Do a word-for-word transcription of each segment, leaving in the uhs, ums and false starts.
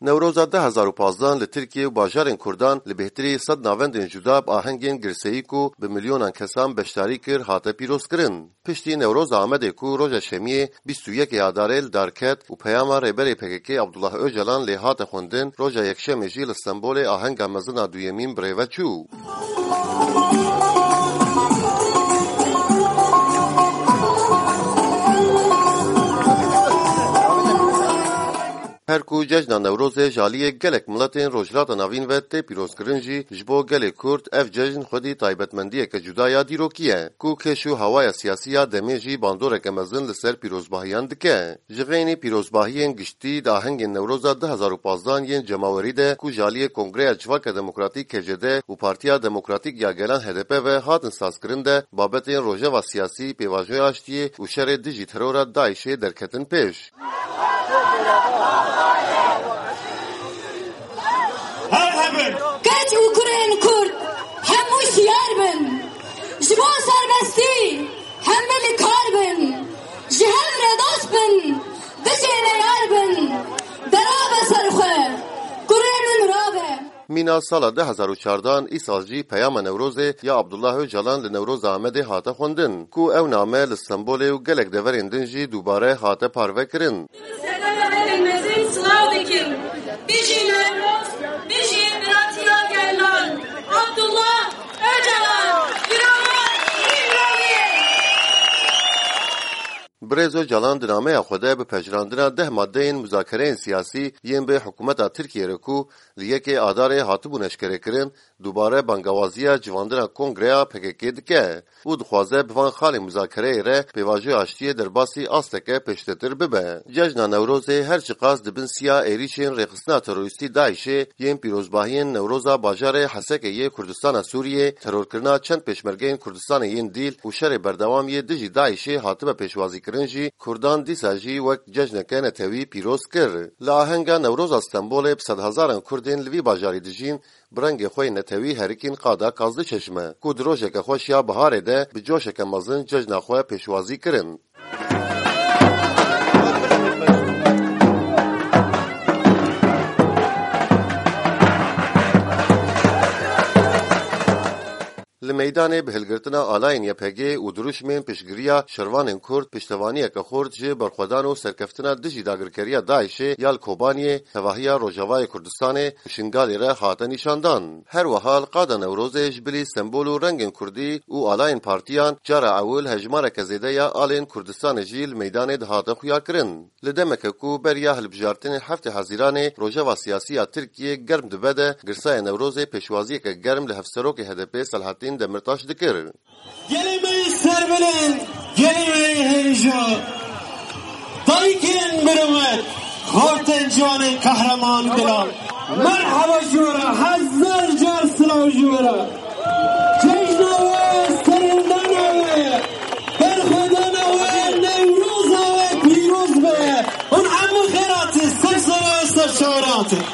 Newroza du hezar û pazdeh li Tirkiye û bajarên Kurdan li bêhtirî sed navendên cuda bi ahengên girseyî ku bi milyonan kesan beşdarî kir, hate pîrozkirin. Piştî Newroza Amedê ku roja Şemiyê bîst û yekê Adarê li dar ket û peyama Rêberê P K K Abdullah Ocalan lê hate xwendin, roja Yekşemê jî li Stenbolê ahenga mezin a duyemîn bi rê ve çû. Her ku cejna Newrozê ji aliyê gelek miletên Rojhilata Navîn ve tê pîrozkirin jî, ji bo gelê Kurd ev cejn xwedî taybetmendiyeke cuda ya dîrokî ye, ku kêş û hawaya siyasî ya demê jî bandoreke mezin li ser pîrozbahiyan dike. Ji xeynî pîrozbahiyên giştî di ahengên Newroza du hezar û pazdeh yên cemawerî de ku ji aliyê Kongreya Civaka Demokratîk, K C D, û Partiya Demokratîk ya Gelan, H D P, ve hatin sazkirin de, babetên rojeva siyasî, pêvajoya aştiyê û şerê dijî terora DAIŞ'ê derketin pêş. Her hebin! Keç û kurên Kurd hemû şiyar bin. Ji bo serbestî hemû li kar bin. Ji hev re dost bin, bijêne yar bin. Dera be ser xwe, kurê min rabe. Mîna sala du hezar û çardeh, îsal jî peyama Newrozê ya Abdullah Ocalan li Newroza Amedê hate xwendin, ku ew name li Stenbolê û gelek deverên din jî dubare hate parvekirin. Selamê mezin silav dikim. Bijî Newroz, bijî biratiya gelan. Abdullah Ocalan, bira me, îmraliyê. Birêz Ocalan di nameya xwe de bi pejirandina deh madeyên muzakereyên siyasî yên bi hikûmeta Tirkiyê re ku li yekê Adarê hatibûn eşkerekirin, dubare bangawaziya civandina Kongreya P K K dike û dixwaze bi van xalên muzakereyê re pêvajoya aştiyê derbasî asteke pêştetir bibe. Cejna Newrozê her çiqas di bin siya êrîşên rêxistina terorîstî DAIŞ'ê yên pîrozbahiyên Newroza bajarê Hesekê yê Kurdistana Sûriyê, terorkirina çend pêşmergeyên Kurdistanê yên dîl û şerê berdewam yê dijî DAIŞ'ê hatibe pêşwazîkirin jî, Kurdan dîsa jî wek cejneke netewî pîroz kir. Li ahenga Newroza Stenbolê bi sedhezaran Kurdên li vî bajarî dijîn, bi rengê xwe yê netewî herikîn qada Kazli Çeşme, ku di rojeke xweş ya biharê de bi coşeke mezin cejna xwe pêşwazî kirin. Li meydanê bi hilgirtina alayên Y P G û dirûşmên piştgiriya şervanên Kurd, piştevaniyeke xurt ji berxwedan û serkeftina dijî dagirkeriya DAIŞ'ê ya li Kobaniyê, tevahiya Rojavayê Kurdistanê û Şingalê re hate nîşandan. Her wiha li qada Newrozê ji bilî sembol û rengên Kurdî û alayên partiyan, cara ewil hejmareke zêde ya alên Kurdistanê jî li meydanê dihate xuyakirin. Li demeke ku beriya hilbijartinê heftê Hezîranê rojeva siyasî ya Tirkiyê germ dibe de, girsaya Newrozê pêşwaziyeke germ li Hevserokê H D P Selahattin Demirtaş dikir. Gelê me yê serbilind, gelê me yê hêja, dayikên birûmet, xortên ciwanên qehreman dilan. Merheba ji we re, hezar car silav ji we re. Cejna we, serhildana we, berxwedana we, Newroza we pîroz be. Hûn hemû xêr hatin, ser sera, ser şara hatin.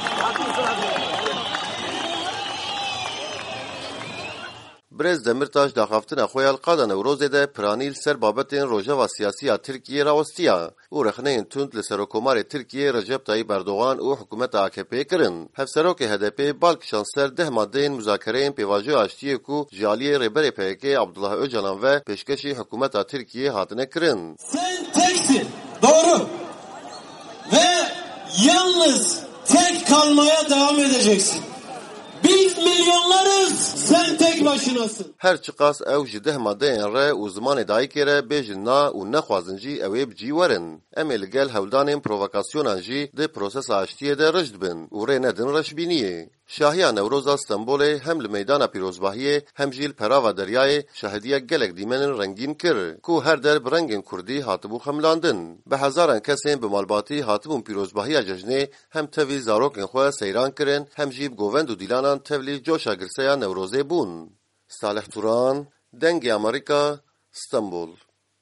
Birêz Demirtaş daxaftina xwe ya li qada Newrozê de piranî li ser babetên rojeva siyasî ya Tirkiyê rawestiya û rexneyên tund li Serokkomarê Tirkiyê Recep Tayyip Erdogan û hikûmeta A K P'ê kirin. Hevserokê H D P'ê bal kişand ser deh madeyên muzakereyên pêvajoya aştiyê ku ji aliyê Rêberê P K K Abdullah Ocalan ve pêşkêşî hikûmeta Tirkiyê hatine kirin. Sen teksin. Doğru. Ve yalnız tek kalmaya devam edeceksin. Biz milyonlarız, sen tek başınasın. Her çiqas ew ji deh madeyên re û zimanê dayikê re bêjin na û nexwazin jî, ew ê bi cî werin. Em ê li gel hewldanên provokasyonan jî di prosesa aştiyê de rijd bin û rê nedin reşbîniyê. Şahiya Newroza Stenbolê hem li meydana pîrozbahiyê hem jî li perava deryayê şahidiyek gelek dîmenên rengîn kir, ku her der bi rengên kurdî hatibû xemilandin. Bi hezaran kesên bi malbatî hatibûn pîrozbahiya cejnê, hem tevî zarokên xwe seyran kirin, hem jî bi govend û dîlanan tevlî coşa girseya Newrozê bûn. Salih Turan, Dengê Amerîka, Stenbol.